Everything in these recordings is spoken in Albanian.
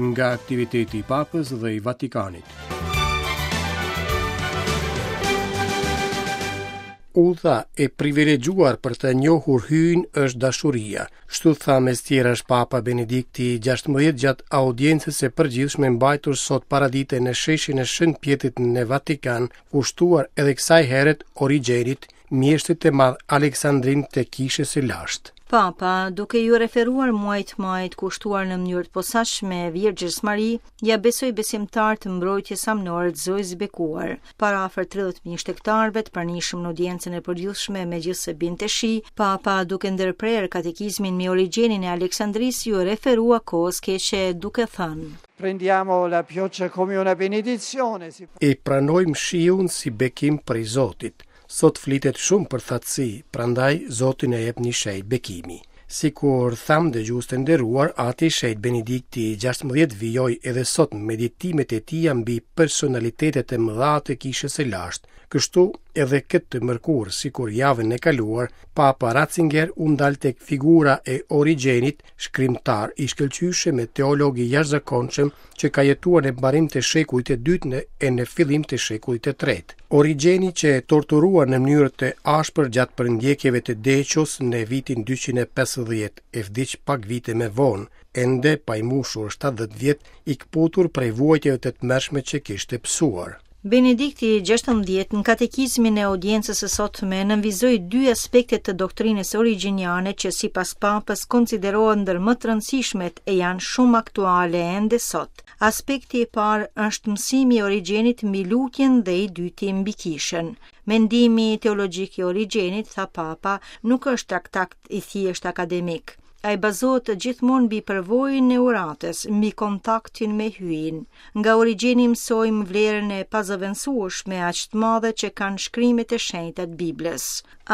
Nga aktiviteti i Papës dhe i Vatikanit. Udha e privilegjuar për të njohur Hyjin është dashuria. Kështu tha mes tjerash Papa Benedikti XVI gjatë audiencës së përgjithshme mbajtur sot paradite në sheshin e Shën Pjetrit në Vatikan, kushtuar edhe kësaj here Origjenit, mjeshtrit të madh Aleksandrin të Kishës së Lashtë. Papa, duke iu referuar muajit majit kushtuar në mënyrë të posaçme Virgjërës Mari, ia besoi besimtarët mbrojtjes amnore të Zojës së Bekuar. Para afër 30.000 shtegtarëve të pranishëm në audiencën e përgjithshme megjithëse binte shi, Papa, duke ndërprerë katekizmin mbi Origjenin e Aleksandrisë, iu referua kohës keqe duke thënë. Prendiamo la pioggia come una benedizione. E pranojmë shiun si bekim prej Zotit. Sot flitet shumë për thatësi, prandaj Zoti na jep një shenjë bekimi. Sikur thamë dëgjues të nderuar, Ati i Shenjtë Benedikti XVI vijoi edhe sot meditimet e tija mbi personalitetet e mëdha të Kishës së Lashtë. Kështu, edhe këtë të mërkurë, sikur javën e kaluar, Papa Ratzinger u ndal tek figura e Origjenit, shkrimtar i shkëlqyeshëm e teolog i jashtëzakonshëm që ka jetuar në mbarim të shekullit të dytë në e në fillim të shekullit të tretë. Origjeni qe torturuar në mënyrë të ashpër gjatë përndjekjeve të Decios në vitin 250 e vdiq pak vite më vonë, ende pa i mbushur 70 vjet, i këputur prej vuajtjeve të tmerrshme që kishte pësuar. Benedikti XVI në katekizmin e audiencës së sotme nënvizoi dy aspekte të doktrinës origjeniane që sipas Papës konsiderohen ndër më të rëndësishmet e janë shumë aktuale ende sot. Aspekti i parë është mësimi i Origjenit mbi lutjen dhe i dyti mbi kishën. Mendimi teologjik i Origjenit, tha Papa, nuk është traktat i thjeshtë akademik. Ai bazohet gjithmonë mbi përvojën e uratës, mbi kontaktin me Hyjin. Nga Origjeni mësojmë vlerën e pazëvendësueshme aq të madhe që kanë shkrimet e shenjta të Biblës.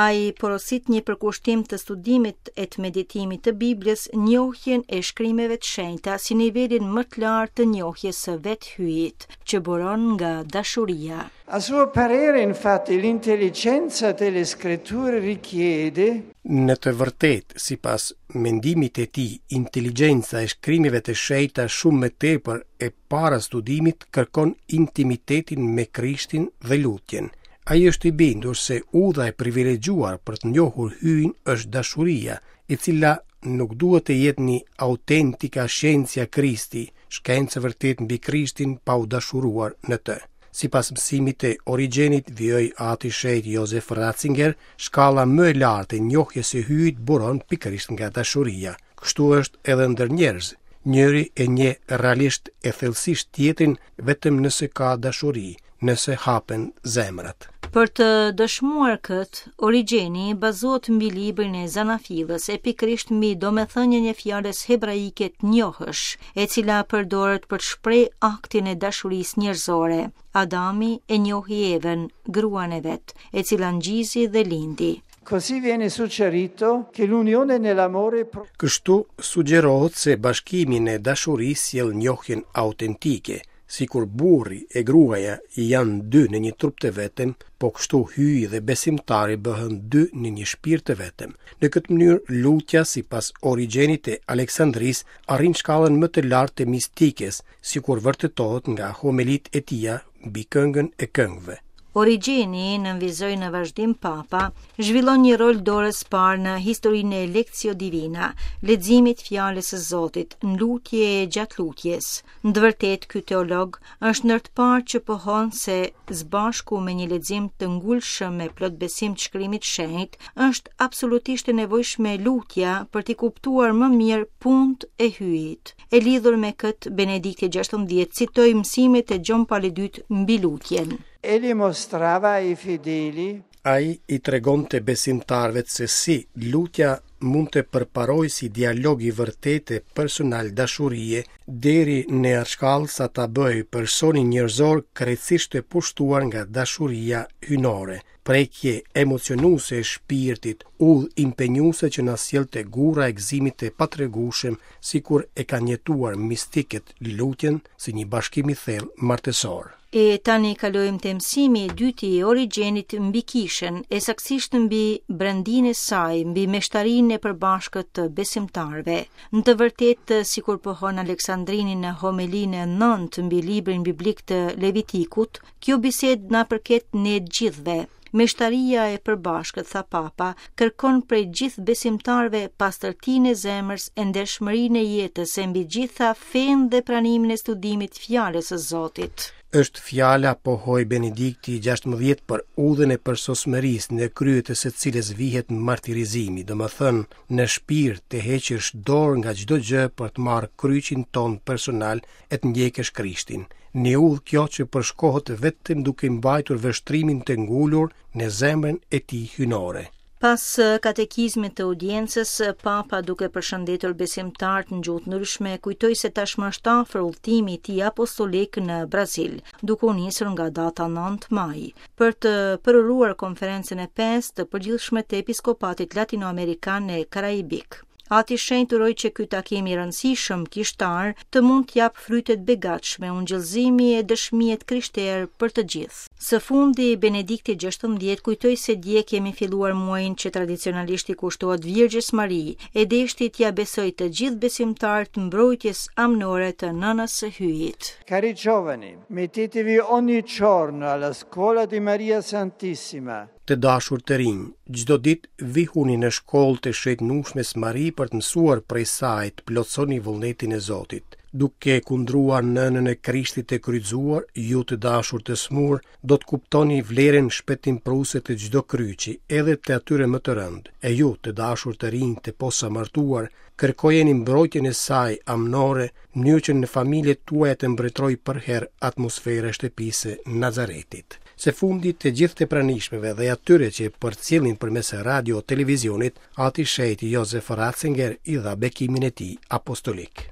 Ai porosit një përkushtim të studimit e të meditimit të Biblës, njohjen e shkrimeve të shenjta si nivelin më të lartë të njohjes së vetë Hyjit, që buron nga dashuria. A suo parere, infatti, l'intelligenza delle scritture richiede Në të vërtetë, sipas mendimit të tij, inteligjenca e shkrimeve të shenjta shumë më tepër e para studimit kërkon intimitetin me Krishtin dhe lutjen. Ai është i bindur se udha e privilegjuar për të njohur Hyjin është dashuria, e cila nuk duhet të jetë një autentica scientia Christi, shkencë e vërtetë mbi Krishtin pa u dashuruar në të. Sipas mësimit të Origjenit, vijoi Ati i Shenjtë Josef Ratzinger, shkalla më e lartë e njohjes së Hyjit buron pikërisht nga dashuria. Kështu është edhe ndër njerëz. Njëri e njeh realisht e thellësisht tjetrin vetëm nëse ka dashuri, nëse hapen zemrat. Për të dëshmuar këtë, Origjeni bazohet mbi librin e Zanafillës e pikërisht mbi domethënien e fjalës hebraike të njohësh, e cila përdoret për të shprehë aktin e dashurisë njerëzore. Adami e njohi Evën, gruan e vet, e cila ngjizi dhe lindi. Così viene suggerito che l'unione nell'amore Kështu sugjerohet se bashkimi në dashuri sjell njohjen autentike, Sikur burri e gruaja janë dy në një trup të vetëm, po kështu Hyji dhe besimtari bëhen dy në një shpirt të vetëm. Në këtë mënyrë, lutja sipas Origjenit të Aleksandrisë arrin shkallën më të lartë të mistikes, sikur vërtetohet nga homelitë e tija mbi këngën e këngëve. Origjeni, nënvizoi në vazhdim Papa, zhvillon një rol dorës parë në historinë e Lectio Divina, leximit fjalës së Zotit, në lutje e gjatë lutjes. Në të vërtetë, ky teolog është ndër të parë që pohon se së bashku me një lexim të ngulshëm e plot besim të shkrimit të shenjtë, është absolutisht e nevojshme lutja për t'i kuptuar më mirë punët e Hyjit. E lidhur me këtë, Benedikti XVI citoi mësimet e Gjon Palit II mbi lutjen. Egli mostrava ai fedeli Ai i tregonte besimtarëve se si lutja mund të përparojë si dialog i vërtetë e personal dashurie deri në atë shkallë sa ta bëjë personin njerëzor krejtësisht të pushtuar nga dashuria hyjnore, prekje emocionuese e shpirtit, udhë impenjuese që na sjell te gurra e gëzimit të patregueshëm sikur e kanë jetuar mistikët lutjen si një bashkim i thellë martesor. E tani kalojmë te mësimi i dytë i Origjenit mbi kishën, e saktësisht mbi brendinë e saj, mbi meshtarinë e përbashkët të besimtarëve. Në të vërtetë, sikur pohon Aleksandrini në homelinë e nëntë mbi librin biblik të Levitikut, kjo bisedë na përket ne gjithëve. Meshtaria e përbashkët, tha Papa, kërkon prej gjithë besimtarëve pastërtinë e zemrës e ndershmërinë e jetës e mbi gjitha fenë dhe pranimin e studimit fjalës së Zotit. Është fjala, pohoi Benedikti i 16 për udhën e përsosmërisë në krye të së cilës vihet martirizimi, domethënë në shpirt të heqësh dorë nga çdo gjë për të marrë kryqin tonë personal e të ndjekësh Krishtin. Një udhë kjo që përshkohet vetëm duke mbajtur vështrimin të ngulur në zemrën e tij hyjnore. Pas katekizmit të audiencës, Papa duke përshëndetur besimtarët në gjuhë të ndryshme, kujtoi se tashmë është afër udhëtimi i tij apostolik në Brazil, duke u nisur nga data 9 maj, për të përuruar konferencën e pestë të përgjithshme të Episkopatit Latinoamerikan e Karaibik. Ati i Shenjtë uroi që ky takim i rëndësishëm kishtar të mund të japë fryte të begatshme ungjillëzimi e dëshmie të krishterë për të gjithë. Së fundi, Benedikti XVI kujtoi se dje kemi filluar muajin që tradicionalisht i kushtohet Virgjës Mari, e deshti t'ia besojë të gjithë besimtarët mbrojtjes amnore të Nënës së Hyjit. Cari giovani, mettetevi ogni giorno alla scuola di Maria Santissima. Të dashur të rinj, çdo ditë vihuni në shkollë të Shenjtnushmes Mari për të mësuar prej saj të plotësoni vullnetin e Zotit. Duke kundruar nënën e Krishtit të kryqëzuar, ju të dashur të sëmurë, do të kuptoni vlerën shpëtimprurëse të çdo kryqi, edhe të atyre më të rëndë. E ju, të dashur të rinj të posamartuar, kërkojeni mbrojtjen e saj amnore, në mënyrë që në familjet tuaja të mbretërojë përherë atmosfera e shtëpisë së Nazaretit. Së fundi, të gjithë të pranishmëve dhe atyre që e përcjellnin përmes radio televizionit, Ati i Shenjtë Josef Ratzinger i dha bekimin e tij apostolik.